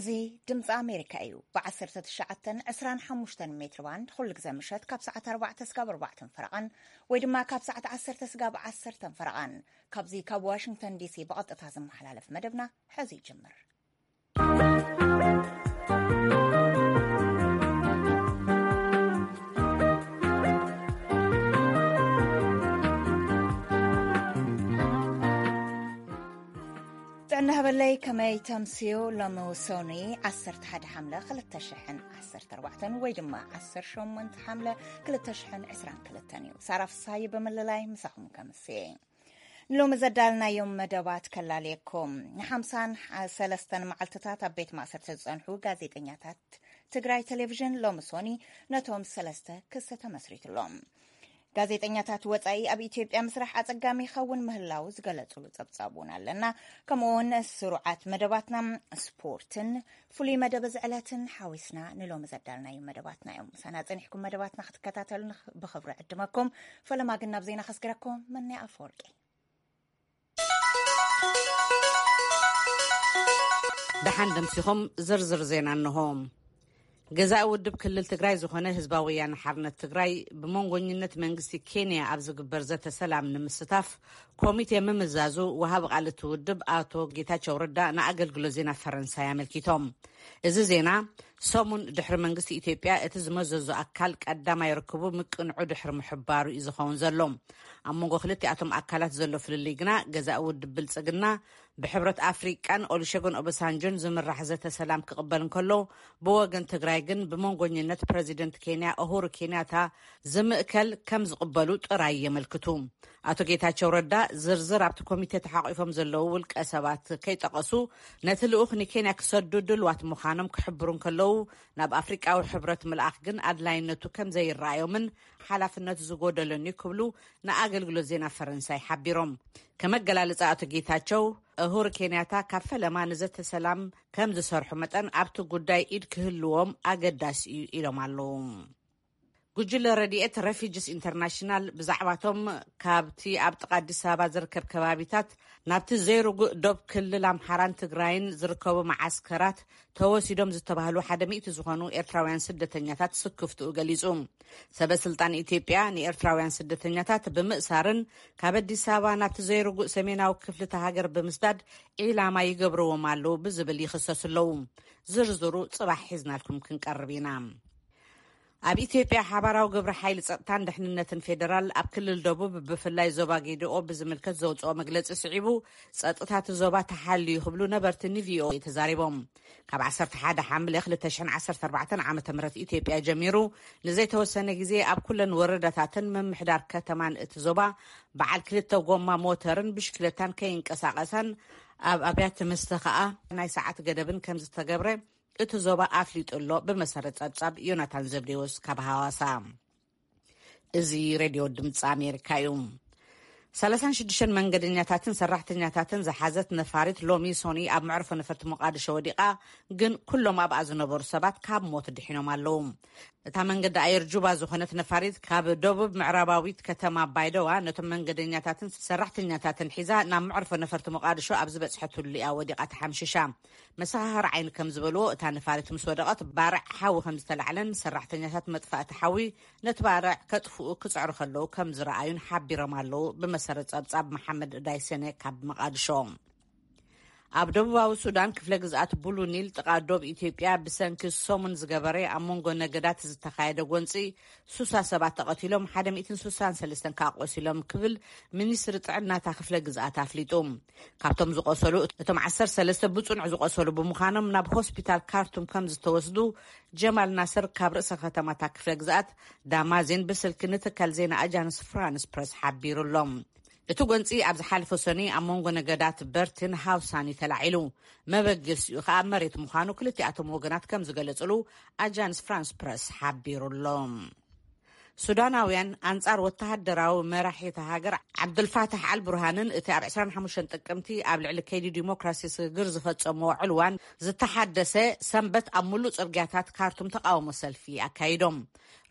እዚ ድምፂ ኣሜሪካ እዩ። ብ19፣ 25 ሜትር ባንድ ኩሉ ግዜ ምሸት ካብ ሰዓት ኣርባዕተ ስጋብ ኣርባዕተን ፈረቓን ወይ ድማ ካብ ሰዓት ዓሰርተ ስጋብ ዓሰርተን ፈረቓን፣ ካብዚ ካብ ዋሽንግተን ዲሲ ብቐጥታ ዝመሓላለፍ መደብና ሕዚ ይጅምር። ጥዕና ሃበለይ፣ ከመይ ተምስዩ? ሎሚ ሶኒ ዓሰርተ ሓደ ሓምለ ክልተ ሽሕን ዓሰርተ ኣርባዕተን ወይ ድማ ዓሰርተ ሸሞንተ ሓምለ ክልተ ሽሕን ዕስራን ክልተን እዩ። ሳራ ፍሳይ ብምልላይ ምሳኹም ከምስየ። ሎሚ ዘዳልናዮም መደባት ከላልየኩም። ንሓምሳን ሰለስተን መዓልትታት ኣብ ቤት ማእሰርቲ ዝጸንሑ ጋዜጠኛታት ትግራይ ቴሌቪዥን ሎሚ ሶኒ ነቶም ሰለስተ ክሲ ተመስሪትሎም። ጋዜጠኛታት ወጻኢ ኣብ ኢትዮጵያ ምስራሕ ኣጸጋሚ ይኸውን ምህላው ዝገለጹሉ ጸብጻብ እውን ኣለና። ከምኡ እውን ስሩዓት መደባትና ስፖርትን ፍሉይ መደብ እዚ ዕለትን ሓዊስና ንሎሚ ዘዳልናዮም መደባትና እዮም። ምሳና ጸኒሕኩም መደባትና ክትከታተሉ ንኽ-፣ ብኽብሪ ዕድመኩም። ፈለማ ግን ናብ ዜና ከስግረኩም። መን ኣፈወርቂ። ደሓን ደምሲኹም ዝርዝር ዜና እንሆ። ገዛኢ ውድብ ክልል ትግራይ ዝኾነ ህዝባዊ ወያነ ሓርነት ትግራይ ብመንጎኝነት መንግስቲ ኬንያ ኣብ ዝግበር ዘተ ሰላም ንምስታፍ ኮሚቴ ምምዛዙ ወሃቢ ቃል እቲ ውድብ ኣቶ ጌታቸው ረዳ ንኣገልግሎት ዜና ፈረንሳይ ኣመልኪቶም። እዚ ዜና ሰሙን ድሕሪ መንግስቲ ኢትዮጵያ እቲ ዝመዘዞ ኣካል ቀዳማይ ርክቡ ምቅንዑ ድሕሪ ምሕባሩ እዩ ዝኸውን ዘሎ። ኣብ መንጎ ክልቲኣቶም ኣካላት ዘሎ ፍልልይ ግና ገዛኢ ውድብ ብልጽግና ብሕብረት ኣፍሪቃን ኦሉሸጎን ኦባሳንጆን ዝምራሕ ዘተ ሰላም ክቕበል እንከሎ፣ ብወገን ትግራይ ግን ብመንጎኝነት ፕረዚደንት ኬንያ ኡሁሩ ኬንያታ ዝምእከል ከም ዝቕበሉ ጥራይ የመልክቱ። ኣቶ ጌታቸው ረዳ ዝርዝር ኣብቲ ኮሚቴ ተሓቂፎም ዘለዉ ውልቀ ሰባት ከይጠቐሱ፣ ነቲ ልኡኽ ንኬንያ ክሰዱ ድልዋት ምዃኖም ክሕብሩ እንከለዉ፣ ናብ ኣፍሪቃዊ ሕብረት ምልኣኽ ግን ኣድላይነቱ ከም ዘይረኣዮምን ሓላፍነት ዝጎደሎን እዩ ክብሉ ንኣገልግሎት ዜና ፈረንሳይ ሓቢሮም። ከመገላልጻ ኣቶ ጌታቸው፣ እሁር ኬንያታ ካብ ፈለማ ንዘተ ሰላም ከም ዝሰርሑ መጠን ኣብቲ ጉዳይ ኢድ ክህልዎም ኣገዳሲ እዩ ኢሎም ኣለዉ። ጉጅለ ረድኤት ረፊጅስ ኢንተርናሽናል ብዛዕባቶም ካብቲ ኣብ ጥቓ ኣዲስ ኣበባ ዝርከብ ከባቢታት ናብቲ ዘይርጉእ ዶብ ክልል ኣምሓራን ትግራይን ዝርከቡ መዓስከራት ተወሲዶም ዝተባህሉ ሓደ ሚእቲ ዝኾኑ ኤርትራውያን ስደተኛታት ስክፍትኡ ገሊጹ። ሰበ ስልጣን ኢትዮጵያ ንኤርትራውያን ስደተኛታት ብምእሳርን ካብ ኣዲስ ኣበባ ናብቲ ዘይርጉእ ሰሜናዊ ክፍሊ እታ ሃገር ብምስዳድ ዒላማ ይገብርዎም ኣለዉ ብዝብል ይኽሰሱ ኣለዉ። ዝርዝሩ ጽባሕ ሒዝናልኩም ክንቀርብ ኢና። ኣብ ኢትዮጵያ ሓባራዊ ግብረ ሓይሊ ጸጥታን ድሕንነትን ፌደራል ኣብ ክልል ደቡብ ብፍላይ ዞባ ጌዲኦ ብዝምልከት ዘውጽኦ መግለጺ ስዒቡ፣ ጸጥታ እቲ ዞባ ተሓልዩ ክብሉ ነበርቲ ንቪኦኤ ተዛሪቦም። ካብ ዓሰርተ ሓደ ሓምለ ክልተ ሽሕን ዓሰርተ ኣርባዕተን ዓመተ ምህረት ኢትዮጵያ ጀሚሩ ንዘይተወሰነ ግዜ ኣብ ኩለን ወረዳታትን ምምሕዳር ከተማን እቲ ዞባ በዓል ክልተ ጎማ ሞተርን ብሽክለታን ከይንቀሳቐሳን ኣብ ኣብያተ መስተ ከኣ ናይ ሰዓት ገደብን ከም ዝተገብረ እቲ ዞባ ኣፍሊጡ ኣሎ። ብመሰረት ጸብጻብ ዮናታን ዘብዴዎስ ካብ ሃዋሳ። እዚ ሬድዮ ድምፂ ኣሜሪካ እዩ። ሰላሳን ሽዱሽተን መንገደኛታትን ሰራሕተኛታትን ዝሓዘት ነፋሪት ሎሚ ሶኒ ኣብ መዕርፎ ነፈርቲ ሞቃዲሾ ወዲቓ፣ ግን ኩሎም ኣብኣ ዝነበሩ ሰባት ካብ ሞት ድሒኖም ኣለዉ። እታ መንገዲ ኣየር ጁባ ዝኾነት ነፋሪት ካብ ደቡብ ምዕራባዊት ከተማ ባይደዋ ነቶም መንገደኛታትን ሰራሕተኛታትን ሒዛ ናብ መዕርፎ ነፈርቲ ሞቃዲሾ ኣብ ዝበጽሐትሉ እያ ወዲቓ ተሓምሺሻ። መሰኻኽር ዓይኒ ከም ዝበልዎ፣ እታ ነፋሪት ምስ ወደቐት ባርዕ ሓዊ ከም ዝተላዕለን ሰራሕተኛታት መጥፋእቲ ሓዊ ነቲ ባርዕ ከጥፍኡ ክጽዕሩ ከለዉ ከም ዝረኣዩን ሓቢሮም ኣለዉ። ብመሰረት ጸብጻብ መሓመድ ዳይሰነ ካብ መቓድሾ። ኣብ ደቡባዊ ሱዳን ክፍለ ግዝኣት ቡሉ ኒል ጥቓ ዶብ ኢትዮጵያ ብሰንኪ ሰሙን ዝገበረ ኣብ መንጎ ነገዳት ዝተኻየደ ጎንጺ ሱሳ ሰባት ተቐቲሎም፣ ሓደ ሚእትን ሱሳን ሰለስተን ከኣ ቆሲሎም ክብል ሚኒስትሪ ጥዕናታ ክፍለ ግዝኣት ኣፍሊጡ። ካብቶም ዝቆሰሉ እቶም ዓሰርተ ሰለስተ ብጽኑዕ ዝቆሰሉ ብምዃኖም ናብ ሆስፒታል ካርቱም ከም ዝተወስዱ ጀማል ናስር ካብ ርእሰ ከተማታ ክፍለ ግዝኣት ዳማዜን ብስልኪ ንትካል ዜና ኣጃንስ ፍራንስ ፕረስ ሓቢሩ ኣሎ። እቲ ጎንጺ ኣብ ዝሓለፈ ሰኑይ ኣብ መንጎ ነገዳት በርትን ሃውሳን እዩ ተላዒሉ። መበገሲኡ ከኣ መሬት ምዃኑ ክልቲኣቶም ወገናት ከም ዝገለጽሉ ኣጃንስ ፍራንስ ፕረስ ሓቢሩ ኣሎ። ሱዳናውያን ኣንጻር ወተሃደራዊ መራሒ እታ ሃገር ዓብዱልፋታሕ ኣልቡርሃንን እቲ ኣብ ዕስራን ሓሙሽተን ጥቅምቲ ኣብ ልዕሊ ከይዲ ዲሞክራሲ ስግግር ዝፈጸምዎ ዕልዋን ዝተሓደሰ ሰንበት ኣብ ሙሉእ ጽርግያታት ካርቱም ተቃውሞ ሰልፊ ኣካይዶም።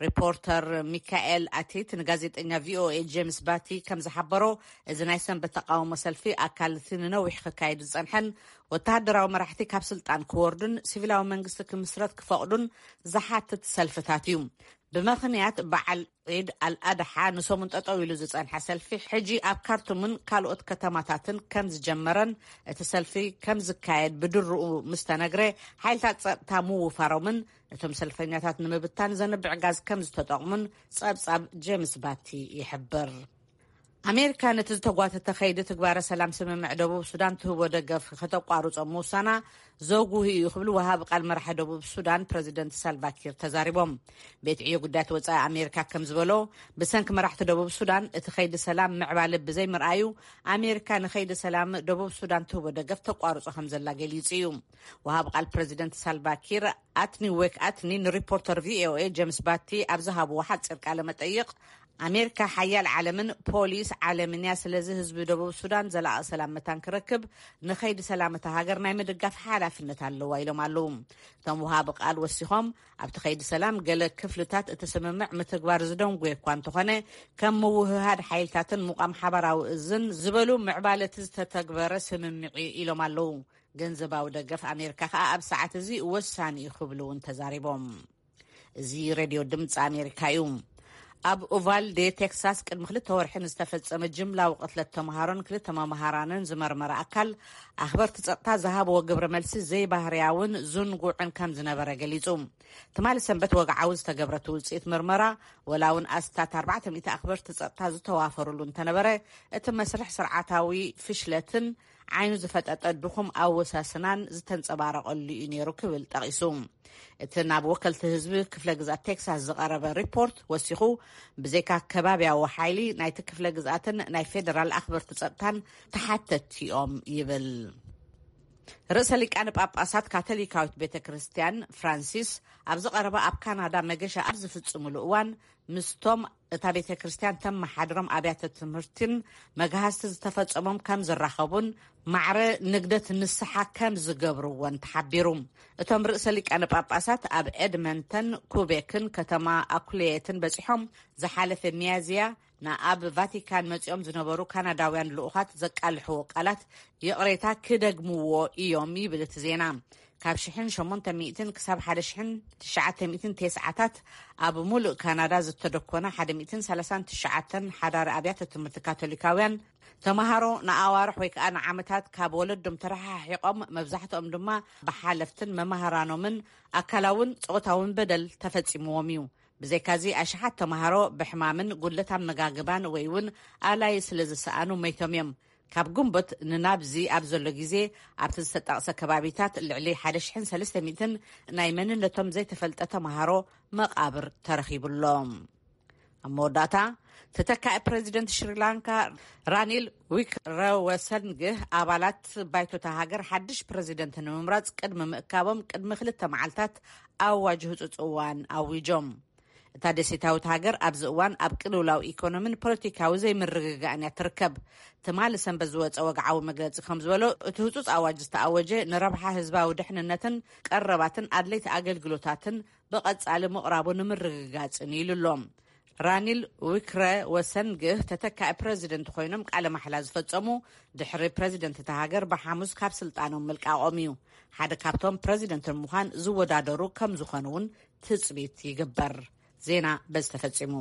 ሪፖርተር ሚካኤል ኣቲት ንጋዜጠኛ ቪኦኤ ጄምስ ባቲ ከም ዝሓበሮ፣ እዚ ናይ ሰንበት ተቃውሞ ሰልፊ ኣካል እቲ ንነዊሕ ክካየድ ዝጸንሐን ወተሃደራዊ መራሕቲ ካብ ስልጣን ክወርዱን ሲቪላዊ መንግስቲ ክምስረት ክፈቕዱን ዝሓትት ሰልፍታት እዩ። ብመኽንያት በዓል ዒድ ኣልኣድሓ ንሰሙን ጠጠው ኢሉ ዝጸንሐ ሰልፊ፣ ሕጂ ኣብ ካርቱምን ካልኦት ከተማታትን ከም ዝጀመረን እቲ ሰልፊ ከም ዝካየድ ብድርኡ ምስ ተነግረ፣ ሓይልታት ጸጥታ ምውፋሮምን እቶም ሰልፈኛታት ንምብታን ዘንብዕ ጋዝ ከም ዝተጠቕሙን ጸብጻብ ጄምስ ባቲ ይሕብር። ኣሜሪካ ነቲ ዝተጓተተ ከይዲ ትግባረ ሰላም ስምምዕ ደቡብ ሱዳን ትህቦ ደገፍ ከተቋርጾ ምውሳና ዘጉህ እዩ ክብሉ ወሃቢ ቃል መራሒ ደቡብ ሱዳን ፕረዚደንት ሳልቫኪር ተዛሪቦም። ቤት ዕዮ ጉዳያት ወጻኢ ኣሜሪካ ከም ዝበሎ፣ ብሰንኪ መራሕቲ ደቡብ ሱዳን እቲ ከይዲ ሰላም ምዕባለ ብዘይምርኣዩ፣ ኣሜሪካ ንኸይዲ ሰላም ደቡብ ሱዳን ትህቦ ደገፍ ተቋርጾ ከም ዘላ ገሊጹ እዩ። ወሃቢ ቃል ፕረዚደንት ሳልቫኪር ኣትኒ ዌክ ኣትኒ ንሪፖርተር ቪኦኤ ጄምስ ባቲ ኣብ ዝሃብዎ ሓጺር ቃለ መጠይቕ፣ ኣሜሪካ ሓያል ዓለምን ፖሊስ ዓለምን እያ፣ ስለዚ ህዝቢ ደቡብ ሱዳን ዘላቒ ሰላም መታን ክረክብ ንኸይዲ ሰላም እታ ሃገር ናይ ምድጋፍ ሓላፍነት ኣለዋ ኢሎም ኣለዉ። እቶም ወሃቢ ቃል ወሲኾም፣ ኣብቲ ከይዲ ሰላም ገለ ክፍልታት እቲ ስምምዕ ምትግባር ዝደንጉየ እኳ እንተኾነ፣ ከም ምውህሃድ ሓይልታትን ምቋም ሓበራዊ እዝን ዝበሉ ምዕባለቲ ዝተተግበረ ስምምዕ እዩ ኢሎም ኣለዉ። ገንዘባዊ ደገፍ ኣሜሪካ ከኣ ኣብ ሰዓት እዚ ወሳኒ እዩ ክብሉ እውን ተዛሪቦም። እዚ ሬድዮ ድምፂ ኣሜሪካ እዩ። ኣብ ኡቫልዴ ቴክሳስ ቅድሚ ክልተ ወርሒ ንዝተፈጸመ ጅምላዊ ቅትለት ተምሃሮን ክልተ መምሃራንን ዝመርመረ ኣካል፣ ኣኽበርቲ ጸጥታ ዝሃብዎ ግብረ መልሲ ዘይባህርያውን ዝንጉዕን ከም ዝነበረ ገሊጹ። ትማሊ ሰንበት ወግዓዊ ዝተገብረ እቲ ውጽኢት ምርመራ፣ ወላ እውን ኣስታት ኣርባዕተ ሚእቲ ኣኽበርቲ ጸጥታ ዝተዋፈሩሉ እንተነበረ፣ እቲ መስርሕ ስርዓታዊ ፍሽለትን ዓይኑ ዝፈጠጠ ድኹም ኣወሳስናን ዝተንጸባረቐሉ እዩ ነይሩ ክብል ጠቒሱ። እቲ ናብ ወከልቲ ህዝቢ ክፍለ ግዝኣት ቴክሳስ ዝቐረበ ሪፖርት ወሲኹ፣ ብዘይካ ከባብያዊ ሓይሊ ናይቲ ክፍለ ግዝኣትን ናይ ፌደራል ኣኽበርቲ ጸጥታን ተሓተትቲ እዮም ይብል። ርእሰ ሊቃነ ጳጳሳት ካቶሊካዊት ቤተ ክርስቲያን ፍራንሲስ ኣብ ዝቐረበ ኣብ ካናዳ መገሻ ኣብ ዝፍጽሙሉ እዋን፣ ምስቶም እታ ቤተ ክርስቲያን ተመሓድሮም ኣብያተ ትምህርትን መግሃስቲ ዝተፈጸሞም ከም ዝራኸቡን ማዕረ ንግደት ንስሓ ከም ዝገብርዎን ተሓቢሩ። እቶም ርእሰ ሊቃነ ጳጳሳት ኣብ ኤድመንተን ኩቤክን ከተማ ኣኩሌየትን በጺሖም፣ ዝሓለፈ ሚያዝያ ንኣብ ቫቲካን መጺኦም ዝነበሩ ካናዳውያን ልኡኻት ዘቃልሕዎ ቃላት ይቕሬታ ክደግምዎ እዮም ይብል እቲ ዜና። ካብ ሽሕን ሸሞንተ ሚእትን ክሳብ ሓደ ሽሕን ትሽዓተ ሚእትን ተስዓታት ኣብ ሙሉእ ካናዳ ዝተደኮነ ሓደ ሚእትን ሰላሳን ትሽዓተን ሓዳሪ ኣብያተ ትምህርቲ ካቶሊካውያን፣ ተምሃሮ ንኣዋርሕ ወይ ከኣ ንዓመታት ካብ ወለዶም ተረሓሒቖም፣ መብዛሕትኦም ድማ ብሓለፍትን መማህራኖምን ኣካላውን ጾታውን በደል ተፈጺምዎም እዩ። ብዘይካዚ፣ ኣሽሓት ተምሃሮ ብሕማምን ጉድለት ኣመጋግባን ወይ እውን ኣላይ ስለ ዝሰኣኑ መይቶም እዮም። ካብ ግንቦት ንናብዚ ኣብ ዘሎ ግዜ፣ ኣብቲ ዝተጠቕሰ ከባቢታት ልዕሊ ሓደ ሽሕን ሰለስተ ሚእትን ናይ መንነቶም ዘይተፈልጠ ተምሃሮ መቓብር ተረኺቡሎም። ኣብ መወዳእታ፣ ተተካኢ ፕረዚደንት ሽሪላንካ ራኒል ዊክረወሰንግህ፣ ኣባላት ባይቶ እታ ሃገር ሓድሽ ፕረዚደንት ንምምራጽ ቅድሚ ምእካቦም፣ ቅድሚ ክልተ መዓልታት ኣዋጅ ህጹጽ እዋን ኣዊጆም። እታ ደሴታዊት ሃገር ኣብዚ እዋን ኣብ ቅልውላው ኢኮኖሚን ፖለቲካዊ ዘይምርግጋእን እያ ትርከብ። ትማሊ ሰንበት ዝወጸ ወግዓዊ መግለጺ ከም ዝበሎ፣ እቲ ህጹጽ ኣዋጅ ዝተኣወጀ ንረብሓ ህዝባዊ ድሕንነትን ቀረባትን ኣድለይቲ ኣገልግሎታትን ብቐጻሊ ምቕራቡ ንምርግጋጽን ኢሉ ኣሎ። ራኒል ዊክረ ወሰንግህ ተተካኢ ፕረዚደንት ኮይኖም ቃለ ማሕላ ዝፈጸሙ፣ ድሕሪ ፕረዚደንት እታ ሃገር ብሓሙስ ካብ ስልጣኖም ምልቃቖም እዩ። ሓደ ካብቶም ፕረዚደንት ንምዃን ዝወዳደሩ ከም ዝኾኑ እውን ትጽቢት ይግበር። ዜና በዚ ተፈጺሙ።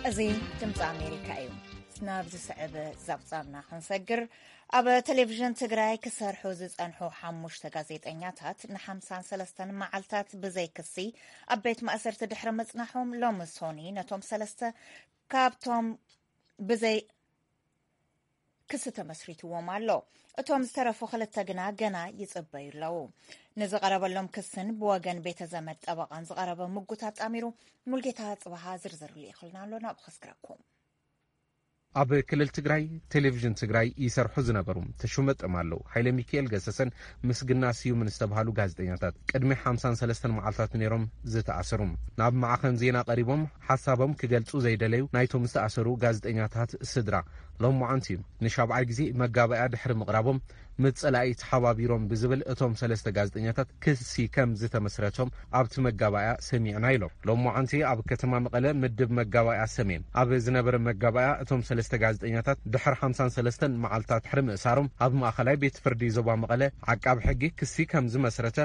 እዚ ድምፂ ኣሜሪካ እዩ። ናብ ዝስዕብ ዛብጻብና ክንሰግር፣ ኣብ ቴሌቪዥን ትግራይ ክሰርሑ ዝጸንሑ ሓሙሽተ ጋዜጠኛታት ንሓምሳን ሰለስተን መዓልታት ብዘይ ክሲ ኣብ ቤት ማእሰርቲ ድሕሪ ምጽናሖም፣ ሎሚ ሶኒ ነቶም ሰለስተ ካብቶም ብዘይ ክሲ ተመስሪትዎም ኣሎ። እቶም ዝተረፉ ክልተ ግና ገና ይጽበዩ ኣለዉ። ንዝቐረበሎም ክስን ብወገን ቤተ ዘመድ ጠበቓን ዝቐረበ ምጉት ኣጣሚሩ ሙልጌታ ጽባሃ ዝርዝር ልኢኹልና ኣሎ፣ ናብኡ ከስግረኩም። ኣብ ክልል ትግራይ ቴሌቪዥን ትግራይ ይሰርሑ ዝነበሩ ተሾመ ጠማለው፣ ሃይለ ሚካኤል ገሰሰን ምስግና ስዩምን ዝተባህሉ ጋዜጠኛታት ቅድሚ ሓምሳን ሰለስተን መዓልታት ነይሮም ዝተኣሰሩ። ናብ ማዕኸን ዜና ቀሪቦም ሓሳቦም ክገልጹ ዘይደለዩ ናይቶም ዝተኣሰሩ ጋዜጠኛታት ስድራ፣ ሎማዓንቲ ንሻብዓይ ግዜ መጋባእያ ድሕሪ ምቕራቦም፣ ምስ ጸላኢ ተሓባቢሮም ብዝብል እቶም ሰለስተ ጋዜጠኛታት ክሲ ከም ዝተመስረቶም ኣብቲ መጋባእያ ሰሚዕና ኢሎም። ሎማዓንቲ ኣብ ከተማ መቐለ ምድብ መጋባእያ ሰሜን ኣብ ዝነበረ መጋባእያ እቶም ሰለስተ ጋዜጠኛታት ድሕሪ ሓምሳን ሰለስተን መዓልታት ድሕሪ ምእሳሮም ኣብ ማእኸላይ ቤት ፍርዲ ዞባ መቐለ ዓቃቢ ሕጊ ክሲ ከም ዝመስረተ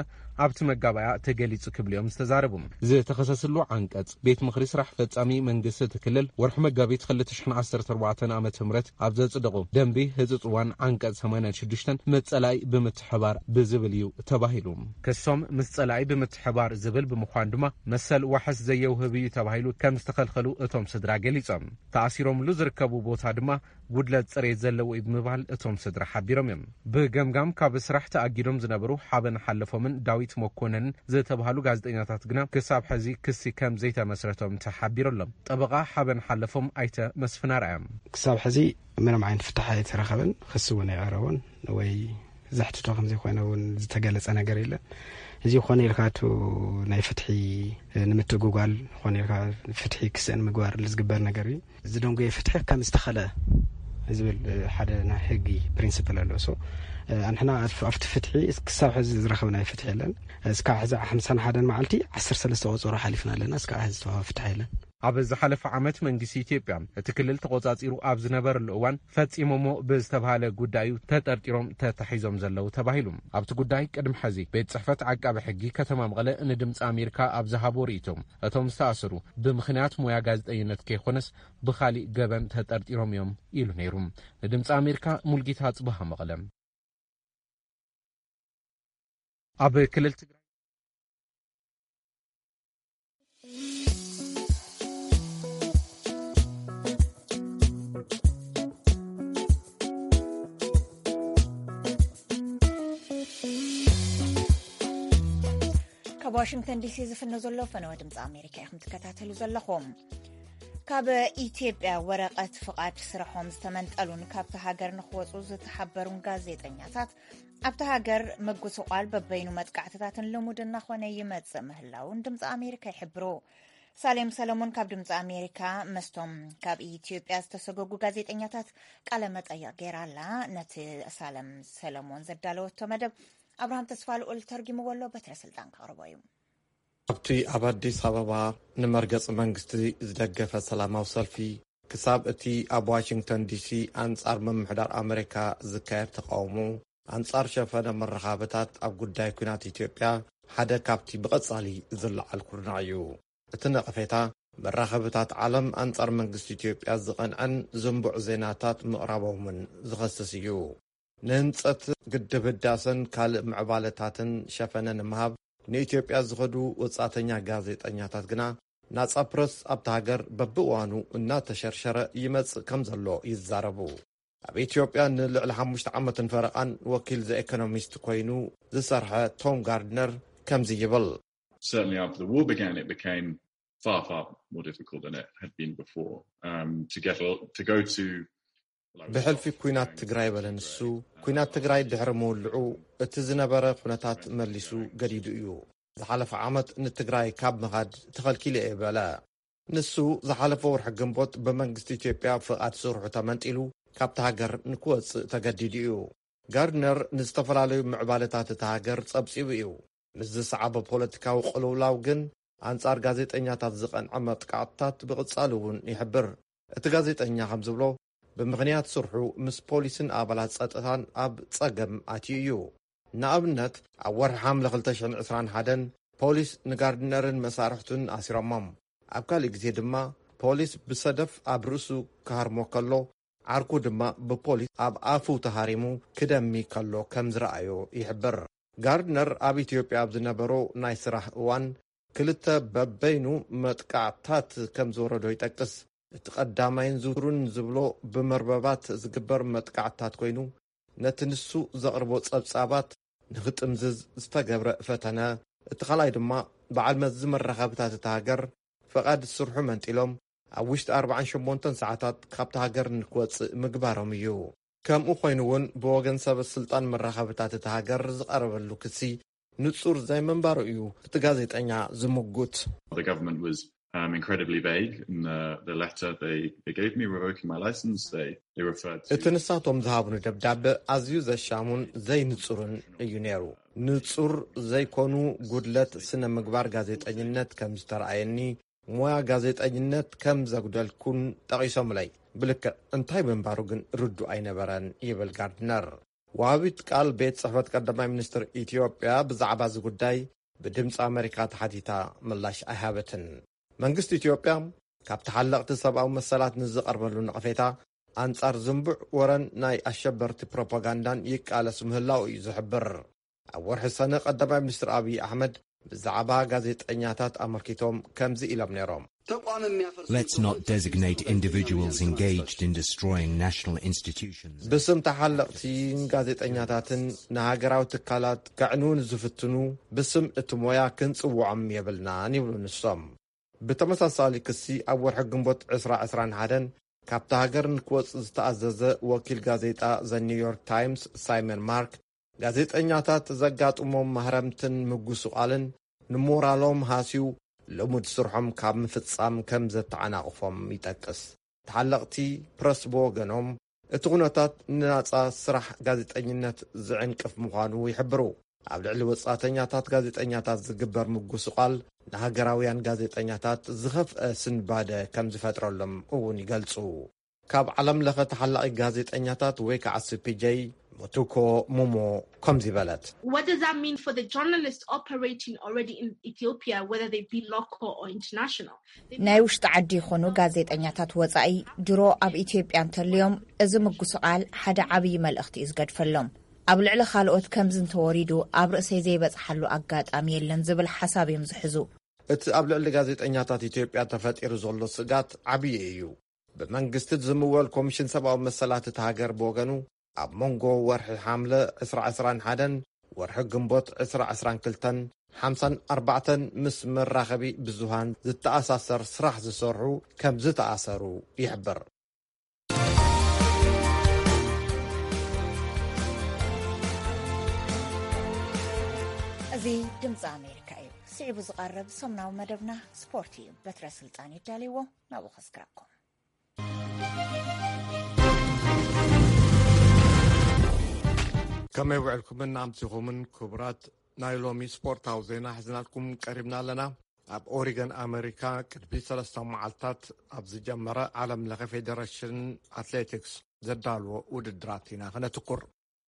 ኣብቲ መጋባእያ ተገሊጹ ክብሉ እዮም ዝተዛረቡ። ዝተኸሰስሉ ዓንቀጽ ቤት ምኽሪ ስራሕ ፈጻሚ መንግስቲ እቲ ክልል ወርሒ መጋቢት ክልተ ሽሕን ዓሰርተ ኣርባዕተን ዓመተ ምህረት ኣብ ዘጽደቖ ደንቢ ህጹጽ እዋን ዓንቀጽ ሰማንያን ሽዱሽተን መጸላይ ብምትሕባር ብዝብል እዩ ተባሂሉ። ክሶም ምስ ጸላኢ ብምትሕባር ዝብል ብምዃን ድማ መሰል ዋሕስ ዘየውህብ እዩ ተባሂሉ ከም ዝተኸልኸሉ እቶም ስድራ ገሊጾም። ተኣሲሮምሉ ዝርከቡ ቦታ ድማ ጉድለት ጽሬት ዘለዎ እዩ ብምባል እቶም ስድራ ሓቢሮም እዮም። ብገምጋም ካብ ስራሕ ተኣጊዶም ዝነበሩ ሓበን ሓለፎምን ዳዊት መኮነንን ዝተባህሉ ጋዜጠኛታት ግና ክሳብ ሕዚ ክሲ ከም ዘይተመስረቶም ተሓቢሩ ኣሎ። ጠበቓ ሓበን ሓለፎም ኣይተ መስፍን ኣርኣያ። ክሳብ ሕዚ ምንም ዓይነት ፍታሕ ኣይተረኸበን፣ ክሲ እውን ኣይቐረቦን ወይ ዘሕትቶ ከም ዘይኮነ እውን ዝተገለጸ ነገር የለን። እዚ ኮነ ኢልካ እቲ ናይ ፍትሒ ንምትጉጓል፣ ኮነ ኢልካ ፍትሒ ክስእን ምግባር ዝግበር ነገር እዩ። ዝደንጎየ ፍትሒ ከም ዝተኸለ ዝብል ሓደ ናይ ሕጊ ፕሪንስፕል ኣሎ። ሶ ኣንሕና ኣብቲ ፍትሒ ክሳብ ሕዚ ዝረኸብናዮ ፍትሒ የለን። እስካብ ሕዚ ሓምሳን ሓደን መዓልቲ ዓሰርተ ሰለስተ ቆጸሮ ሓሊፍና ኣለና። እስካብ ሕዚ ዝተዋህበ ፍትሒ የለን። ኣብ ዝሓለፈ ዓመት መንግስቲ ኢትዮጵያ እቲ ክልል ተቆጻጺሩ ኣብ ዝነበረሉ እዋን ፈጺሞሞ ብዝተባሃለ ጉዳዩ ተጠርጢሮም ተታሒዞም ዘለዉ ተባሂሉ። ኣብቲ ጉዳይ ቅድሚ ሕዚ ቤት ጽሕፈት ዓቃቢ ሕጊ ከተማ መቐለ ንድምፂ ኣሜሪካ ኣብ ዝሃቦ ርእይቶ፣ እቶም ዝተኣሰሩ ብምኽንያት ሞያ ጋዜጠኝነት ከይኮነስ ብኻሊእ ገበን ተጠርጢሮም እዮም ኢሉ ነይሩ። ንድምፂ ኣሜሪካ ሙልጌታ ጽባሃ መቐለ። ኣብ ክልል ትግራይ ካብ ዋሽንግተን ዲሲ ዝፍኖ ዘሎ ፈነወ ድምፂ ኣሜሪካ ኢኹም ትከታተሉ ዘለኹም። ካብ ኢትዮጵያ ወረቐት ፍቓድ ስርሖም ዝተመንጠሉን ካብቲ ሃገር ንክወፁ ዝተሓበሩን ጋዜጠኛታት ኣብቲ ሃገር ምጉስቋል በበይኑ መጥቃዕትታትን ልሙድ እናኾነ ይመጽእ ምህላውን ድምፂ ኣሜሪካ ይሕብሩ። ሳሌም ሰለሞን ካብ ድምፂ ኣሜሪካ መስቶም ካብ ኢትዮጵያ ዝተሰጎጉ ጋዜጠኛታት ቃለ መጠይቕ ገይራ ኣላ። ነቲ ሳለም ሰለሞን ዘዳለወቶ መደብ ኣብርሃም ተስፋ ልኡል ተርጊምዎ ኣሎ። በትረ ስልጣን ከቕርቦ እዩ። ኣብቲ ኣብ ኣዲስ ኣበባ ንመርገጺ መንግስቲ ዝደገፈ ሰላማዊ ሰልፊ፣ ክሳብ እቲ ኣብ ዋሽንግተን ዲሲ ኣንጻር ምምሕዳር ኣመሪካ ዝካየድ ተቓውሞ፣ ኣንጻር ሸፈነ መራኸብታት ኣብ ጉዳይ ኲናት ኢትዮጵያ ሓደ ካብቲ ብቐጻሊ ዝለዓል ኩርናዕ እዩ። እቲ ነቐፌታ፣ መራኸብታት ዓለም ኣንጻር መንግስቲ ኢትዮጵያ ዝቐንዐን ዝንቡዕ ዜናታት ምቕራቦምን ዝኸስስ እዩ። ንህንጸት ግድብ ህዳሰን ካልእ ምዕባለታትን ሸፈነ ንምሃብ ንኢትዮጵያ ዝኸዱ ወጻእተኛ ጋዜጠኛታት ግና፣ ናጻ ፕረስ ኣብታ ሃገር በብእዋኑ እናተሸርሸረ ይመጽእ ከም ዘሎ ይዛረቡ። ኣብ ኢትዮጵያ ንልዕሊ ሓሙሽተ ዓመትን ፈረቓን ወኪል ዘ ኤኮኖሚስት ኮይኑ ዝሰርሐ ቶም ጋርድነር ከምዚ ይብል። Certainly after the war began, it became far, far more difficult than it had been before. Um, to get a, to go to ብሕልፊ ኲናት ትግራይ በለ ንሱ። ኲናት ትግራይ ድሕሪ ምውልዑ እቲ ዝነበረ ኩነታት መሊሱ ገዲዱ እዩ። ዝሓለፈ ዓመት ንትግራይ ካብ ምኻድ ተኸልኪለ እየ በለ። ንሱ ዝሓለፈ ወርሒ ግንቦት ብመንግስቲ ኢትዮጵያ ፍቓድ ስርሑ ተመንጢሉ ካብቲ ሃገር ንክወጽእ ተገዲዱ እዩ። ጋርድነር ንዝተፈላለዩ ምዕባለታት እታ ሃገር ጸብጺቡ እዩ። ምስ ዝሰዓበ ፖለቲካዊ ቅልውላው ግን ኣንጻር ጋዜጠኛታት ዝቐንዐ መጥቃዕትታት ብቕጻሉ እውን ይሕብር። እቲ ጋዜጠኛ ከም ዝብሎ፣ ብምኽንያት ስርሑ ምስ ፖሊስን ኣባላት ጸጥታን ኣብ ጸገም ኣትዩ እዩ። ንኣብነት፣ ኣብ ወርሒ ሓምለ ክልተ ሽሕን ዕስራን ሓደን ፖሊስ ንጋርድነርን መሳርሕቱን ኣሲሮሞም። ኣብ ካልእ ግዜ ድማ ፖሊስ ብሰደፍ ኣብ ርእሱ ክሃርሞ ከሎ፣ ዓርኩ ድማ ብፖሊስ ኣብ ኣፉ ተሃሪሙ ክደሚ ከሎ ከም ዝረኣዮ ይሕብር። ጋርድነር ኣብ ኢትዮጵያ ኣብ ዝነበሮ ናይ ስራሕ እዋን ክልተ በበይኑ መጥቃዕታት ከም ዝወረዶ ይጠቅስ። እቲ ቀዳማይን ዝውቱርን ዝብሎ ብመርበባት ዝግበር መጥቃዕታት ኮይኑ፣ ነቲ ንሱ ዘቕርቦ ጸብጻባት ንኽጥምዝዝ ዝተገብረ ፈተነ፣ እቲ ካልኣይ ድማ በዓል መዚ መራኸብታት እታ ሃገር ፈቓድ ስርሑ መንጢሎም ኣብ ውሽጢ ኣርባዓን ሸሞንተን ሰዓታት ካብቲ ሃገር ንክወጽእ ምግባሮም እዩ። ከምኡ ኮይኑ እውን ብወገን ሰበ ስልጣን መራኸብታት እቲ ሃገር ዝቐረበሉ ክሲ ንጹር ዘይምንባሩ እዩ እቲ ጋዜጠኛ ዝምጉት። The government was um, incredibly vague in the, the letter they, they gave me revoking my license. They, they referred to እቲ ንሳቶም ዝሃብኑ ደብዳበ ኣዝዩ ዘሻሙን ዘይንጹርን እዩ ነይሩ። ንጹር ዘይኮኑ ጉድለት ስነ ምግባር ጋዜጠኝነት ከም ዝተረኣየኒ፣ ሞያ ጋዜጠኝነት ከም ዘጉደልኩን ጠቒሶምለይ። ብልክዕ እንታይ ምንባሩ ግን ርዱእ ኣይነበረን ይብል ጋርድነር። ወሃቢት ቃል ቤት ጽሕፈት ቀዳማይ ሚኒስትር ኢትዮጵያ ብዛዕባ እዚ ጉዳይ ብድምፂ ኣመሪካ ተሓቲታ ምላሽ ኣይሃበትን። መንግስቲ ኢትዮጵያ ካብ ተሓለቕቲ ሰብኣዊ መሰላት ንዝቐርበሉ ነቐፌታ ኣንጻር ዝንቡዕ ወረን ናይ ኣሸበርቲ ፕሮፓጋንዳን ይቃለስ ምህላው እዩ ዝሕብር። ኣብ ወርሒ ሰነ ቀዳማይ ሚኒስትር ኣብይ ኣሕመድ ብዛዕባ ጋዜጠኛታት ኣመልኪቶም ከምዚ ኢሎም ነይሮም። ተቋም የሚያፈርሱ Let's not designate individuals engaged in destroying national institutions. ብስም ተሓለቕቲ ጋዜጠኛታትን ንሃገራዊ ትካላት ከዕንውን ዝፍትኑ ብስም እቲ ሞያ ክንጽውዖም የብልናን ይብሉ ንሶም። ብተመሳሳሊ ክሲ ኣብ ወርሒ ግንቦት ዕስራ ዕስራን ሓደን ካብቲ ሃገር ንክወጽእ ዝተኣዘዘ ወኪል ጋዜጣ ዘ ኒውዮርክ ታይምስ ሳይመን ማርክ ጋዜጠኛታት ዘጋጥሞም ማህረምትን ምጉስቓልን ንሞራሎም ሃስዩ ልሙድ ስርሖም ካብ ምፍጻም ከም ዘተዓናቕፎም ይጠቅስ። ተሓለቕቲ ፕረስ ብወገኖም እቲ ኩነታት ንናጻ ስራሕ ጋዜጠኝነት ዝዕንቅፍ ምዃኑ ይሕብሩ። ኣብ ልዕሊ ወጻእተኛታት ጋዜጠኛታት ዝግበር ምጉስቓል ንሃገራውያን ጋዜጠኛታት ዝኸፍአ ስንባደ ከም ዝፈጥረሎም እውን ይገልጹ። ካብ ዓለም ለኸ ተሓላቒ ጋዜጠኛታት ወይ ከዓ ሲ ፒ ጄ ሙቱኮ ሙሞ ከምዚ በለት። What does that mean for the journalists operating already in Ethiopia, whether they be local or international? ናይ ውሽጢ ዓዲ ይኹኑ ጋዜጠኛታት ወጻኢ ድሮ ኣብ ኢትዮጵያ እንተልዮም እዚ ምጉስቓል ሓደ ዓብዪ መልእኽቲ እዩ ዝገድፈሎም። ኣብ ልዕሊ ካልኦት ከምዚ እንተወሪዱ ኣብ ርእሰይ ዘይበጽሓሉ ኣጋጣሚ የለን ዝብል ሓሳብ እዮም ዝሕዙ። እቲ ኣብ ልዕሊ ጋዜጠኛታት ኢትዮጵያ ተፈጢሩ ዘሎ ስጋት ዓብዪ እዩ። ብመንግስቲ ዝምወል ኮሚሽን ሰብኣዊ መሰላት እቲ ሃገር ብወገኑ ኣብ መንጎ ወርሒ ሓምለ ዕስራ ዕስራን ሓደን ወርሒ ግንቦት ዕስራ ዕስራን ክልተን ሓምሳን ኣርባዕተን ምስ መራኸቢ ብዙሃን ዝተኣሳሰር ስራሕ ዝሰርሑ ከም ዝተኣሰሩ ይሕብር። እዚ ድምፂ ኣሜሪካ እዩ። ስዒቡ ዝቐርብ ሰሙናዊ መደብና ስፖርት እዩ። በትረ ስልጣን ይዳልዎ፣ ናብኡ ከስግረኩም። ከመይ ውዕልኩምን ኣምሲኹምን ክቡራት ናይ ሎሚ ስፖርታዊ ዜና ሒዝናልኩም ቀሪብና ኣለና። ኣብ ኦሪገን ኣመሪካ ቅድሚ ሰለስተ መዓልታት ኣብ ዝጀመረ ዓለም ለኸ ፌዴሬሽን ኣትሌቲክስ ዘዳልዎ ውድድራት ኢና ከነትኩር።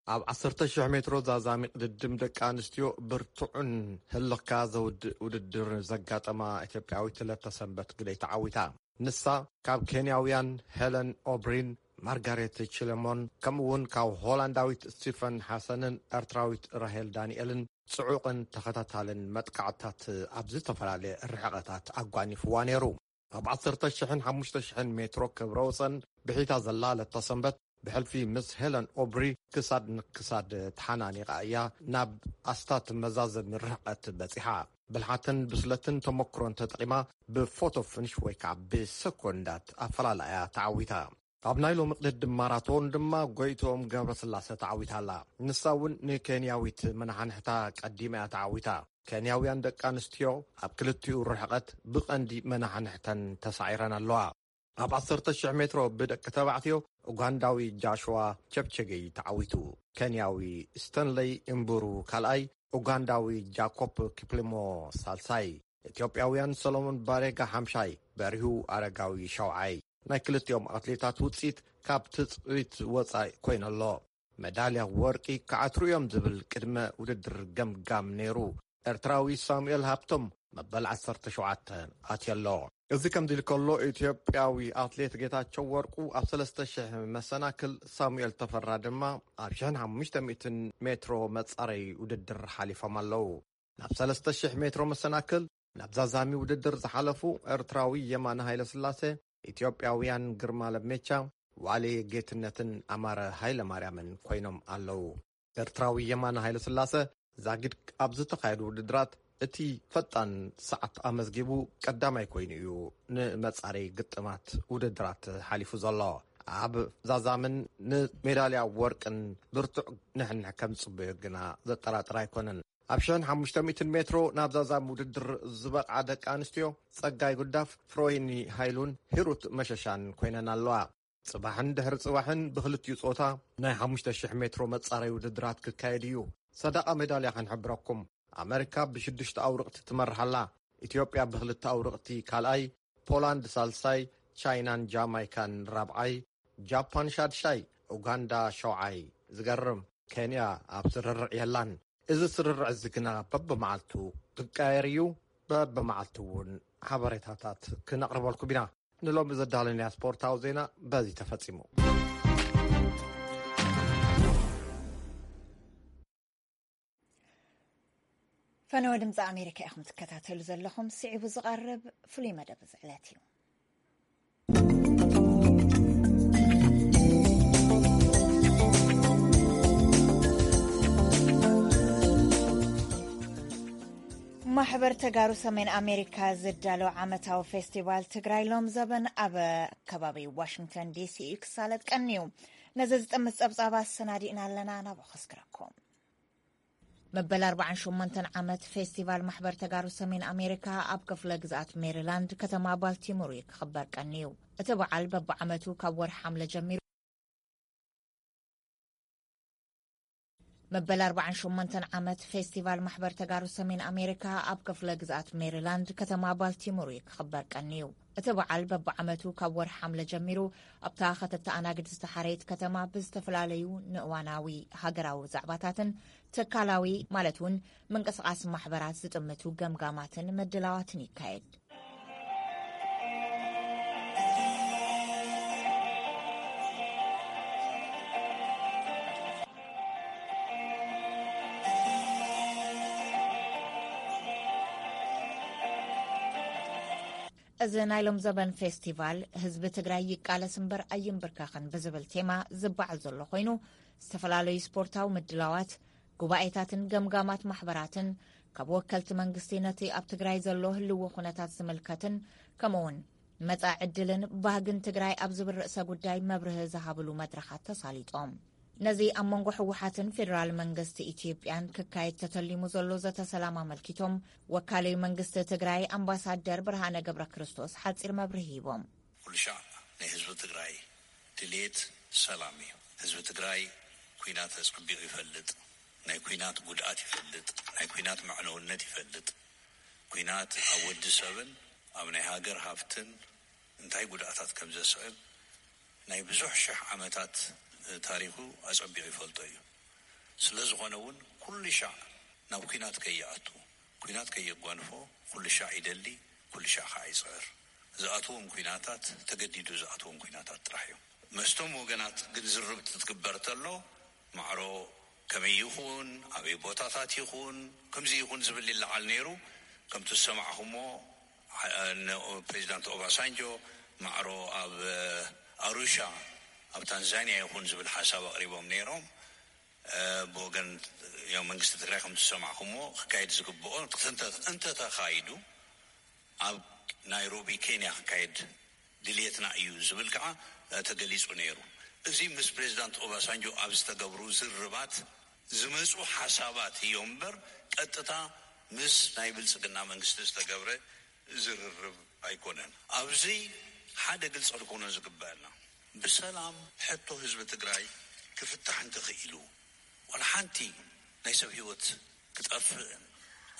ኣብ ዓሰርተ ሽሕ ሜትሮ ዛዛሚ ቅድድም ደቂ ኣንስትዮ ብርቱዕን ህልኽካ ዘውድእ ውድድር ዘጋጠማ ኢትዮጵያዊት ለተሰንበት ግደይ ተዓዊታ። ንሳ ካብ ኬንያውያን ሄለን ኦብሪን፣ ማርጋሬት ቺለሞን ከምኡ እውን ካብ ሆላንዳዊት ስቲፈን ሓሰንን ኤርትራዊት ራሄል ዳንኤልን ጽዑቕን ተኸታታልን መጥቃዕትታት ኣብ ዝተፈላለየ ርሕቐታት ኣጓኒፍዋ ነይሩ። ኣብ ዓሰርተ ሽሕን ሓሙሽተ ሽሕን ሜትሮ ክብረ ወሰን ብሒታ ዘላ ለተሰንበት ብሕልፊ ምስ ሄለን ኦብሪ ክሳድ ንክሳድ ተሓናኒቓ እያ ናብ ኣስታት መዛዘሚ ርሕቐት በጺሓ። ብልሓትን ብስለትን ተመክሮን ተጠቒማ ብፎቶ ፍንሽ ወይ ከዓ ብሰኮንዳት ኣፈላላያ ተዓዊታ። ኣብ ናይ ሎሚ ቅድድም ማራቶን ድማ ጎይትኦም ገብረስላሴ ተዓዊታ ኣላ። ንሳ እውን ንኬንያዊት መናሓንሕታ ቀዲማ እያ ተዓዊታ። ኬንያውያን ደቂ ኣንስትዮ ኣብ ክልቲኡ ርሕቐት ብቐንዲ መናሓንሕተን ተሳዒረን ኣለዋ። ኣብ ዓሰርተ ሽሕ ሜትሮ ብደቂ ተባዕትዮ ኡጋንዳዊ ጃሽዋ ቸፕቸገይ ተዓዊቱ። ኬንያዊ ስተንለይ እምቡሩ ካልኣይ፣ ኡጋንዳዊ ጃኮብ ኪፕሊሞ ሳልሳይ፣ ኢትዮጵያውያን ሰሎሞን ባሬጋ ሓምሻይ፣ በሪሁ ኣረጋዊ ሸውዓይ። ናይ ክልቲኦም ኣትሌታት ውፅኢት ካብ ትፅቢት ወፃኢ ኮይነሎ። መዳልያ ወርቂ ክዓትሩ እዮም ዝብል ቅድመ ውድድር ገምጋም ነይሩ። ኤርትራዊ ሳሙኤል ሃብቶም መበል ዓሰርተ ሸውዓተ ኣትየሎ። እዚ ከምዚ ኢሉ ከሎ ኢትዮጵያዊ ኣትሌት ጌታቸው ወርቁ ኣብ ሰለስተ ሽሕ መሰናክል፣ ሳሙኤል ተፈራ ድማ ኣብ ሽሕን ሓሙሽተ ሚእትን ሜትሮ መጻረይ ውድድር ሓሊፎም ኣለዉ። ናብ ሰለስተ ሽሕ ሜትሮ መሰናክል ናብ ዛዛሚ ውድድር ዝሓለፉ ኤርትራዊ የማነ ሃይለስላሴ፣ ኢትዮጵያውያን ግርማ ለሜቻ፣ ዋሌ ጌትነትን ኣማረ ሃይለማርያምን ኮይኖም ኣለዉ። ኤርትራዊ የማነ ሃይለስላሰ ዛጊድ ኣብ ዝተኻየዱ ውድድራት እቲ ፈጣን ሰዓት ኣመዝጊቡ ቀዳማይ ኮይኑ እዩ ንመጻረይ ግጥማት ውድድራት ሓሊፉ ዘሎ። ኣብ ዛዛምን ንሜዳልያ ወርቅን ብርቱዕ ንሕንሕ ከም ዝጽበዮ ግና ዘጠራጥር ኣይኮነን። ኣብ ሽሕን ሓሙሽተ ሚእትን ሜትሮ ናብ ዛዛም ውድድር ዝበቕዓ ደቂ ኣንስትዮ ጸጋይ ጉዳፍ፣ ፍሮይኒ ሃይሉን ሂሩት መሸሻን ኮይነን ኣለዋ። ጽባሕን ድሕሪ ጽባሕን ብኽልቲኡ ጾታ ናይ ሓሙሽተ ሽሕ ሜትሮ መጻረይ ውድድራት ክካየድ እዩ። ሰደቓ ሜዳልያ ክንሕብረኩም። ኣመሪካ ብሽዱሽተ ኣውርቕቲ ትመርሕ ኣላ። ኢትዮጵያ ብኽልተ ኣውርቕቲ ካልኣይ፣ ፖላንድ ሳልሳይ፣ ቻይናን ጃማይካን ራብዓይ፣ ጃፓን ሻድሻይ፣ ኡጋንዳ ሸውዓይ። ዝገርም፣ ኬንያ ኣብ ስርርዕ የላን። እዚ ስርርዕ እዚ ግና በብመዓልቱ ክቀየር እዩ። በብመዓልቱ እውን ሓበሬታታት ክነቕርበልኩም ኢና። ንሎሚ ዘዳለናያ ስፖርታዊ ዜና በዚ ተፈጺሙ። ፈነወ ድምፂ ኣሜሪካ ኢኹም ትከታተሉ ዘለኹም። ስዒቡ ዝቐርብ ፍሉይ መደብ እዚ ዕለት እዩ። ማሕበር ተጋሩ ሰሜን ኣሜሪካ ዝዳሎ ዓመታዊ ፌስቲቫል ትግራይ ሎም ዘበን ኣብ ከባቢ ዋሽንግተን ዲሲ እዩ ክሳለጥ ቀንዩ። ነዚ ዝጥምት ጸብጻብ ኣሰናዲእና ኣለና፣ ናብኡ ከስግረኩም። መበል ኣርባዓን ሸሞንተን ዓመት ፌስቲቫል ማሕበር ተጋሩ ሰሜን ኣሜሪካ ኣብ ክፍለ ግዝኣት ሜሪላንድ ከተማ ባልቲሞር እዩ ክኽበር ቀንዩ። እቲ በዓል በብዓመቱ ካብ ወርሒ ሓምለ ጀሚሩ መበል ኣርባዓን ሸሞንተን ዓመት ፌስቲቫል ማሕበር ተጋሩ ሰሜን ኣሜሪካ ኣብ ክፍለ ግዝኣት ሜሪላንድ ከተማ ባልቲሞር እዩ ክኽበር ቀንዩ። እቲ በዓል በብዓመቱ ካብ ወርሒ ሓምለ ጀሚሩ ኣብታ ከተተኣናግድ ዝተሓረየት ከተማ ብዝተፈላለዩ ንእዋናዊ ሃገራዊ ዛዕባታትን ትካላዊ ማለት እውን ምንቅስቓስ ማሕበራት ዝጥምቱ ገምጋማትን ምድላዋትን ይካየድ። እዚ ናይ ሎም ዘበን ፌስቲቫል ህዝቢ ትግራይ ይቃለስ እምበር ኣይንብርከኽን ብዝብል ቴማ ዝበዓል ዘሎ ኮይኑ፣ ዝተፈላለዩ ስፖርታዊ ምድላዋት፣ ጉባኤታትን ገምጋማት ማሕበራትን ካብ ወከልቲ መንግስቲ ነቲ ኣብ ትግራይ ዘሎ ህልዎ ኩነታት ዝምልከትን ከምኡውን መጻኢ ዕድልን ባህግን ትግራይ ኣብ ዝብል ርእሰ ጉዳይ መብርሂ ዝሃብሉ መድረኻት ተሳሊጦም። ነዚ ኣብ መንጎ ህወሓትን ፌደራል መንግስቲ ኢትዮጵያን ክካየድ ተተሊሙ ዘሎ ዘተ ሰላም ኣመልኪቶም ወካሊ መንግስቲ ትግራይ ኣምባሳደር ብርሃነ ገብረ ክርስቶስ ሓጺር መብርሂ ሂቦም። ኩሉ ሻዕ ናይ ህዝቢ ትግራይ ድሌት ሰላም እዩ። ህዝቢ ትግራይ ኩናት ኣጸቢቑ ይፈልጥ፣ ናይ ኩናት ጉድኣት ይፈልጥ፣ ናይ ኩናት መዕነውነት ይፈልጥ። ኩናት ኣብ ወዲ ሰብን ኣብ ናይ ሃገር ሃፍትን እንታይ ጉድኣታት ከም ዘስዕብ ናይ ብዙሕ ሽሕ ዓመታት ታሪኹ ኣጸቢቑ ይፈልጦ እዩ። ስለ ዝኾነ እውን ኩሉ ሻዕ ናብ ኩናት ከይኣቱ፣ ኩናት ከየጓንፎ ኩሉ ሻዕ ይደሊ፣ ኩሉ ሻዕ ከዓ ይጽዕር። ዝኣትዎም ኩናታት ተገዲዱ ዝኣትዎም ኩናታት ጥራሕ እዮም። መስቶም ወገናት ግን ዝርብ ትትግበር ተሎ ማዕሮ ከመይ ይኹን፣ ኣበይ ቦታታት ይኹን፣ ከምዚ ይኹን ዝብል ይለዓል ነይሩ። ከምቲ ዝሰማዕኹሞ፣ ዓ-፣ ነ-፣ ፕሬዚዳንት ኦባሳንጆ ማዕሮ ኣብ ኣሩሻ ኣብ ታንዛንያ ይኹን ዝብል ሓሳብ ኣቕሪቦም ነይሮም። እ፣ ብወገን ያው መንግስቲ ትግራይ ከምቲ ዝሰማዕኹሞ ክካየድ ዝግብኦ እንተ-፣ እንተተኻይዱ ኣብ ናይሮቢ ኬንያ ክካየድ ድልየትና እዩ ዝብል ከዓ ተገሊፁ ነይሩ። እዚ ምስ ፕሬዚዳንት ኦባሳንጆ ኣብ ዝተገብሩ ዝርርባት ዝመፁ ሓሳባት እዮም እምበር ቀጥታ ምስ ናይ ብልፅግና መንግስቲ ዝተገብረ ዝርርብ ኣይኮነን። ኣብዚ ሓደ ግልፂ ክንኮኖ ዝግበአና፣ ብሰላም ሕቶ ህዝቢ ትግራይ ክፍታሕ እንተኽኢሉ ዋላ ሓንቲ ናይ ሰብ ህይወት ክጠፍእ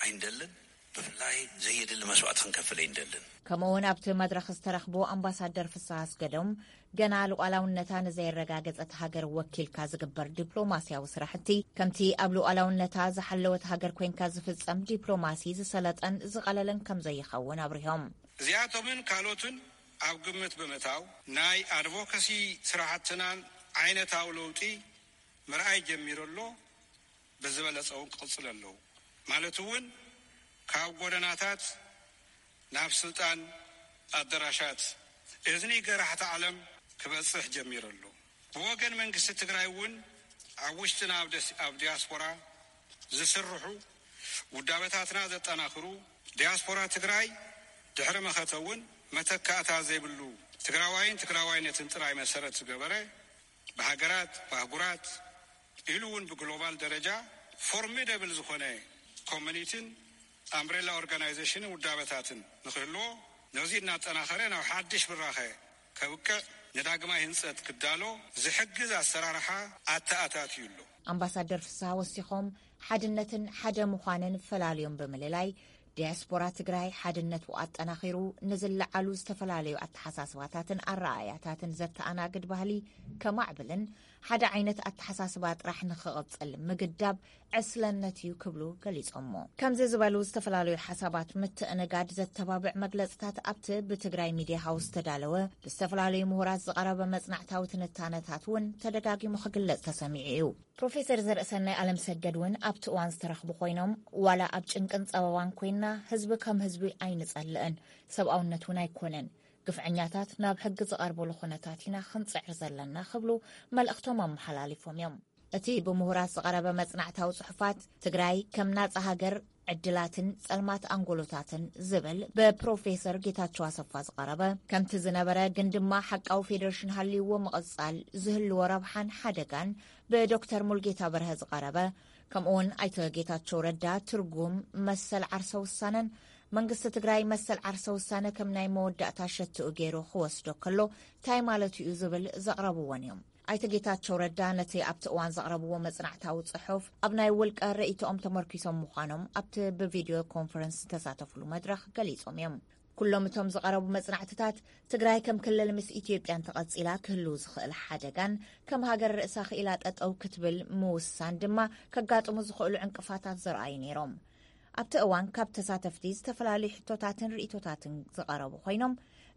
ኣይንደልን። ብፍላይ ዘየድሊ መስዋእቲ ክንከፍል ኣይንደልን። ከምኡ እውን ኣብቲ መድረኽ ዝተረኽቡ ኣምባሳደር ፍስሃ ኣስገዶም፣ ገና ሉዓላውነታ ንዘየረጋገጸት ሃገር ወኪልካ ዝግበር ዲፕሎማስያዊ ስራሕቲ ከምቲ ኣብ ሉዓላውነታ ዝሓለወት ሃገር ኮይንካ ዝፍጸም ዲፕሎማሲ ዝሰለጠን ዝቐለለን ከም ዘይኸውን ኣብሪሆም። እዚኣቶምን ካልኦትን ኣብ ግምት ብምእታው ናይ ኣድቮካሲ ስራሕትናን ዓይነታዊ ለውጢ ምርኣይ ጀሚሩ ኣሎ። ብዝበለጸ እውን ክቕጽል ኣለዎ። ማለት እውን ካብ ጎደናታት ናብ ስልጣን ኣደራሻት እዝኒ ገራሕቲ ዓለም ክበጽሕ ጀሚሩ ኣሎ። ብወገን መንግስቲ ትግራይ እውን ኣብ ውሽጥና ኣብ ደስ-፣ ኣብ ዲያስፖራ ዝስርሑ ውዳበታትና ዘጠናኽሩ፣ ዲያስፖራ ትግራይ ድሕሪ መኸተ እውን መተካእታ ዘይብሉ ትግራዋይን ትግራዋይነትን ጥራይ መሰረት ዝገበረ፣ ብሃገራት፣ ብኣህጉራት፣ ኢሉ እውን ብግሎባል ደረጃ ፎርሚደብል ዝኾነ ኮሚኒቲን ኣምብሬላ ኦርጋናይዜሽንን ውዳበታትን ንክህልዎ፣ ነዚ እናጠናኸረ ናብ ሓድሽ ብራኸ ከብቅዕ፣ ንዳግማይ ህንፀት ክዳሎ ዝሕግዝ ኣሰራርሓ ኣተኣታትዩ ኣሎ። ኣምባሳደር ፍስሃ ወሲኾም፣ ሓድነትን ሓደ ምዃንን ፈላልዮም ብምልላይ፣ ዲያስፖራ ትግራይ ሓድነቱ ኣጠናኺሩ፣ ንዝለዓሉ ዝተፈላለዩ ኣተሓሳስባታትን ኣረኣእያታትን ዘተኣናግድ ባህሊ ከማዕብልን ሓደ ዓይነት ኣተሓሳስባ ጥራሕ ንኽቕፅል ምግዳብ ዕስለነት እዩ ክብሉ ገሊጾሞ። ከምዚ ዝበሉ ዝተፈላለዩ ሓሳባት ምትእንጋድ ዘተባብዕ መግለጽታት ኣብቲ ብትግራይ ሚድያ ሃውስ ዝተዳለወ ብዝተፈላለዩ ምሁራት ዝቐረበ መጽናዕታዊ ትንታነታት እውን ተደጋጊሙ ክግለጽ ተሰሚዑ እዩ። ፕሮፌሰር ዘርእሰናይ ኣለምሰገድ እውን ኣብቲ እዋን ዝተረኽቡ ኮይኖም፣ ዋላ ኣብ ጭንቅን ጸበባን ኮይንና ህዝቢ ከም ህዝቢ ኣይንጸልእን፣ ሰብኣውነት እውን ኣይኮነን፣ ግፍዐኛታት ናብ ሕጊ ዝቐርበሉ ኩነታት ኢና ክንጽዕር ዘለና ክብሉ መልእኽቶም ኣመሓላሊፎም እዮም። እቲ ብምሁራት ዝቐረበ መጽናዕታዊ ጽሑፋት ትግራይ ከም ናጻ ሃገር ዕድላትን ጸልማት ኣንጎሎታትን ዝብል ብፕሮፌሰር ጌታቸው ኣሰፋ ዝቐረበ፣ ከምቲ ዝነበረ ግን ድማ ሓቃዊ ፌደሬሽን ሃልይዎ ምቕጻል ዝህልዎ ረብሓን ሓደጋን ብዶክተር ሙልጌታ በርሀ ዝቐረበ፣ ከምኡውን ኣይተ ጌታቸው ረዳ ትርጉም መሰል ዓርሰ ውሳነን መንግስቲ ትግራይ መሰል ዓርሰ ውሳነ ከም ናይ መወዳእታ ሸትኡ ገይሩ ክወስዶ ከሎ እንታይ ማለቱ እዩ ዝብል ዘቕረብዎን እዮም። ኣይተ ጌታቸው ረዳ ነቲ ኣብቲ እዋን ዘቕረብዎ መጽናዕታዊ ጽሑፍ ኣብ ናይ ውልቀ ርእይቶኦም ተመርኪሶም ምዃኖም ኣብቲ ብቪድዮ ኮንፈረንስ ዝተሳተፍሉ መድረኽ ገሊጾም እዮም። ኩሎም እቶም ዝቐረቡ መጽናዕትታት ትግራይ ከም ክልል ምስ ኢትዮጵያ እንተቐጺላ ክህሉ ዝኽእል ሓደጋን ከም ሃገር ርእሳ ክኢላ ጠጠው ክትብል ምውሳን ድማ ከጋጥሙ ዝኽእሉ ዕንቅፋታት ዘርኣዩ ነይሮም። ኣብቲ እዋን ካብ ተሳተፍቲ ዝተፈላለዩ ሕቶታትን ርእይቶታትን ዝቐረቡ ኮይኖም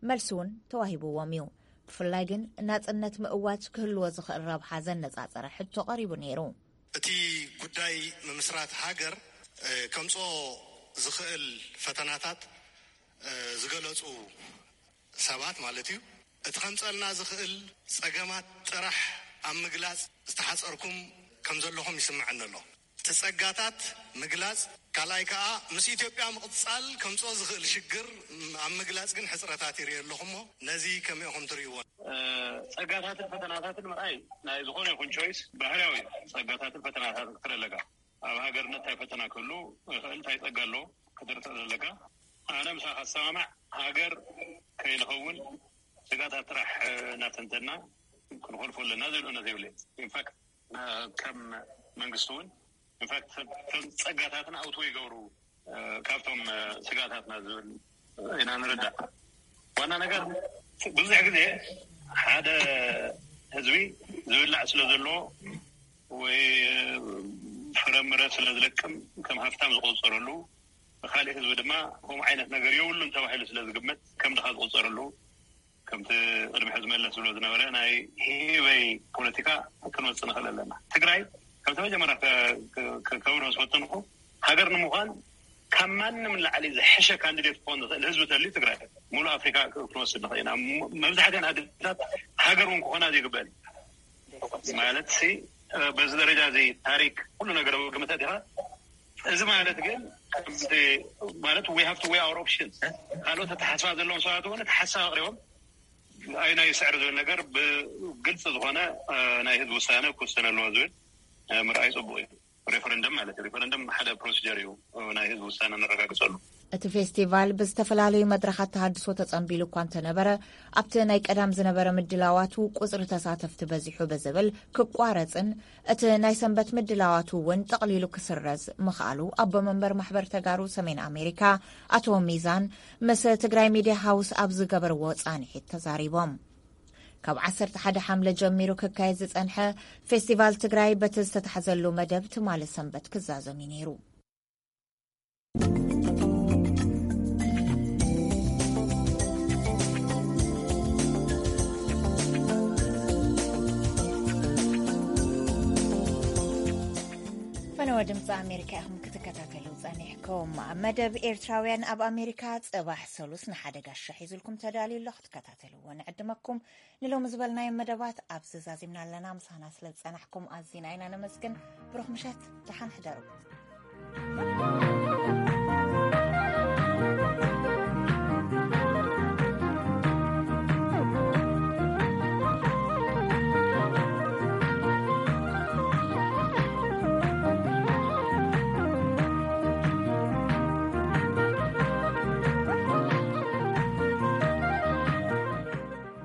መልሲ እውን ተዋሂብዎም እዩ። ብፍላይ ግን ናጽነት ምእዋጅ ክህልዎ ዝኽእል ረብሓ ዘነጻጸረ ሕቶ ቀሪቡ ነይሩ። እቲ ጉዳይ ምምስራት ሃገር ከምፅኦ ዝኽእል ፈተናታት ዝገለፁ ሰባት ማለት እዩ። እቲ ከምፀልና ዝኽእል ፀገማት ጥራሕ ኣብ ምግላፅ ዝተሓፀርኩም ከም ዘለኹም ይስምዐኒ ኣሎ። እቲ ፀጋታት ምግላፅ፣ ካልኣይ ከዓ ምስ ኢትዮጵያ ምቕፃል ከምፅኦ ዝኽእል ሽግር ኣብ ምግላፅ ግን ሕፅረታት ይርኢ ኣለኹ እሞ ነዚ ከመይ ኢኹም ትርእይዎ? ፀጋታትን ፈተናታትን ምርኣይ ናይ ዝኾነ ይኹን ቾይስ ባህርያዊ እዩ። ፀጋታትን ፈተናታትን ክትርኢ ኣለካ። ኣብ ሃገር እንታይ ፈተና ክህሉ ይኽእል፣ እንታይ ፀጋ ኣሎ ክትርኢ ትኽእል ኣለካ። ኣነ ምሳኻ ዝሰማማዕ፣ ሃገር ከይንኸውን ስጋታት ጥራሕ እናተንተና ክንኾልፎ ኣለና ዝብል እምነት የብለይ። ኢንፋክት ከም መንግስቲ እውን ኢንፋክት ከም ፀጋታትና ኣውትወ ይገብሩ ካብቶም ስጋታትና ዝብል ኢና ንርዳእ። ዋና ነገር ብዙሕ ግዜ ሓደ ህዝቢ ዝብላዕ ስለ ዘለዎ ወይ ፍረምረ ስለ ዝለቅም ከም ሃፍታም ዝቆፀረሉ፣ ብካሊእ ህዝቢ ድማ ከምኡ ዓይነት ነገር የብሉን ተባሂሉ ስለ ዝግመት ከም ድኻ ዝቆፀረሉ፣ ከምቲ ቅድሚ ሕዚ መለስ ዝብሎ ዝነበረ ናይ ሂበይ ፖለቲካ ክንወፅእ ንኽእል ኣለና። ትግራይ ከምቲ መጀመርያ ከብሮ ዝፈተንኩ ሃገር ንምዃን ካብ ማንም ንላዕሊ ዝሐሸ ካንዲዴት ክኾን ዝኽእል ህዝቢ ተልዩ ትግራይ ሙሉእ ኣፍሪካ ክንወስድ ንኽእል ኢና። መብዛሕትአን ኣዴታት ሃገር እውን ክኾና ዘይግበአን ማለት ሲ በዚ ደረጃ እዚ ታሪክ ኩሉ ነገር ኣብ ግምት ኣእቲኻ፣ እዚ ማለት ግን ማለት we have to weigh our options። ካልኦት ኣተሓሳስባ ዘለዎም ሰባት እውን ኣተሓሳስባ ኣቕሪቦም ኣይ ናይ ስዕር ዝብል ነገር ብግልፂ ዝኾነ ናይ ህዝቢ ውሳነ ክውሰን ኣለዎ ዝብል ምርኣይ ፅቡቅ እዩ። ሬፈረንደም ማለት እዩ። ሬፈረንደም ሓደ ፕሮሲጀር እዩ፣ ናይ ህዝቢ ውሳነ ነረጋግፀሉ። እቲ ፌስቲቫል ብዝተፈላለዩ መድረኻት ተሃድሶ ተጸንቢሉ እኳ እንተነበረ፣ ኣብቲ ናይ ቀዳም ዝነበረ ምድላዋቱ ቁጽሪ ተሳተፍቲ በዚሑ ብዝብል ክቋረጽን እቲ ናይ ሰንበት ምድላዋቱ እውን ጠቕሊሉ ክስረዝ ምኽኣሉ ኣቦ መንበር ማሕበር ተጋሩ ሰሜን ኣሜሪካ ኣቶ ሚዛን ምስ ትግራይ ሚድያ ሃውስ ኣብ ዝገበርዎ ጻንሒት ተዛሪቦም። ካብ ዓሰርተ ሓደ ሓምለ ጀሚሩ ክካየድ ዝጸንሐ ፌስቲቫል ትግራይ በቲ ዝተታሕዘሉ መደብ ትማሊ ሰንበት ክዛዘም እዩ ነይሩ። ፈነወ ድምፂ ኣሜሪካ ኢኹም ክትከታተሉ ጸኒሕኩም። መደብ ኤርትራውያን ኣብ ኣሜሪካ ጽባሕ ሰሉስ ንሓደ ጋሻ ሒዙልኩም ተዳልዩ ኣሎ፣ ክትከታተልዎ ንዕድመኩም። ንሎሚ ዝበልናዮም መደባት ኣብዚ ዛዚምና ኣለና። ምሳና ስለ ዝጸናሕኩም ኣዚና ኢና ነመስግን። ብሩኽ ምሸት፣ ደሓን ሕደሩ።